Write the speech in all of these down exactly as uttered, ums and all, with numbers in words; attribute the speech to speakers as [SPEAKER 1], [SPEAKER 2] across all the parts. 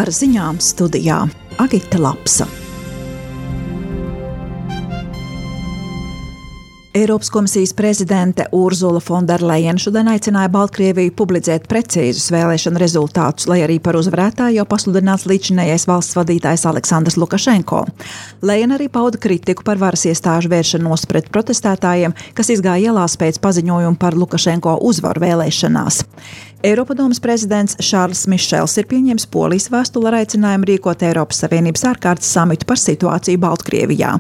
[SPEAKER 1] Ar ziņām studijā Agita Lapsa. Eiropas komisijas prezidente Urzula Fonderlejena šodien aicināja Baltkrieviju publicēt precīzus vēlēšanu rezultātus, lai arī par uzvarētāju jau pasludināts līdzinējais valsts vadītājs Aleksandrs Lukašenko. Lejena arī pauda kritiku par varas iestāžu vēršanos pret protestētājiem, kas izgāja ielās pēc paziņojuma par Lukašenko uzvaru vēlēšanās. Eiropadomes prezidents Šārls Mišels ir pieņēmis Polijas vēstuli ar aicinājumu rīkot Eiropas Savienības ārkārtas samitu par situāciju Baltkrievijā.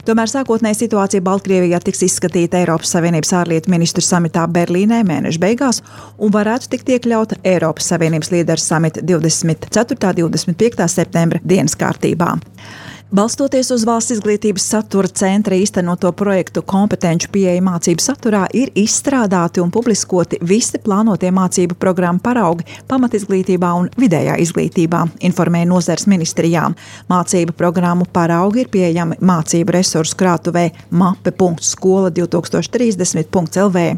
[SPEAKER 1] Tomēr sākotnēji situācija Baltkrievijā tiks izskatīta Eiropas Savienības ārlietu ministru samitā Berlīnē mēneša beigās un varētu tikt iekļauta Eiropas Savienības līderu samita divdesmit ceturtā un divdesmit piektā septembra dienas kārtībā. Balstoties uz Valsts izglītības satura centra īstenoto projektu kompetenču pieeja mācību saturā, ir izstrādāti un publiskoti visi plānotie mācību programmu paraugi pamatizglītībā un vidējā izglītībā, informēja nozares ministrijā. Mācību programmu paraugi ir pieejami mācību resursu krātuvē mape punkts skola divi tūkstoši trīsdesmit punkts el vē.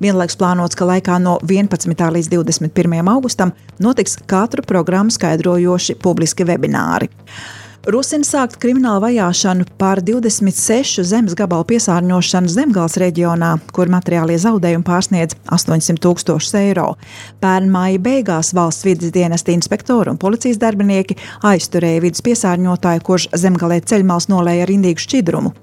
[SPEAKER 1] Vienlaikus plānots, ka laikā no vienpadsmitā līdz divdesmit pirmajam augustam notiks katru programmu skaidrojoši publiski webināri. Rosina sākt kriminālu vajāšanu par divdesmit sešu zemes gabalu piesārņošanu Zemgales reģionā, kur materiālie zaudējumi pārsniedz astoņsimt tūkstošus eiro. Pērn māja beigās valsts vides dienesta inspektori un policijas darbinieki aizturēja vides piesārņotāju, kurš Zemgalē ceļmals nolēja ar indīgu šķidrumu.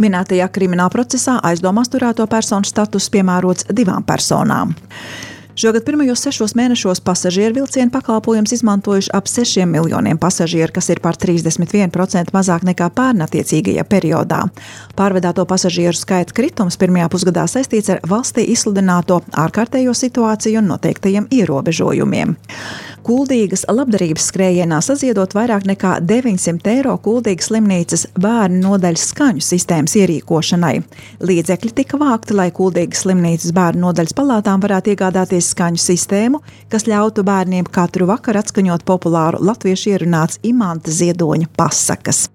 [SPEAKER 1] Minētajā krimināla procesā aizdomās turēto personu status piemērots divām personām. Šogad pirmajos sešos mēnešos pasažieru vilcienu pakalpojums izmantojuši ap sešiem miljoniem pasažieru, kas ir par trīsdesmit vienu procentu mazāk nekā pērn attiecīgajā periodā. Pārvedāto pasažieru skaita kritums pirmajā pusgadā saistīts ar valstī izsludināto ārkārtējo situāciju un noteiktajiem ierobežojumiem. Kuldīgas labdarības skrējienā saziedot vairāk nekā deviņsimt eiro Kuldīgas slimnīcas bērnu nodaļas skaņu sistēmas ierīkošanai. Līdzekļi tika vākti, lai Kuldīgas slimnīcas bērnu nodaļas palātām varētu iegādāties skaņu sistēmu, kas ļautu bērniem katru vakaru atskaņot populāru latviešu ierunāts Imanta Ziedoņa pasakas.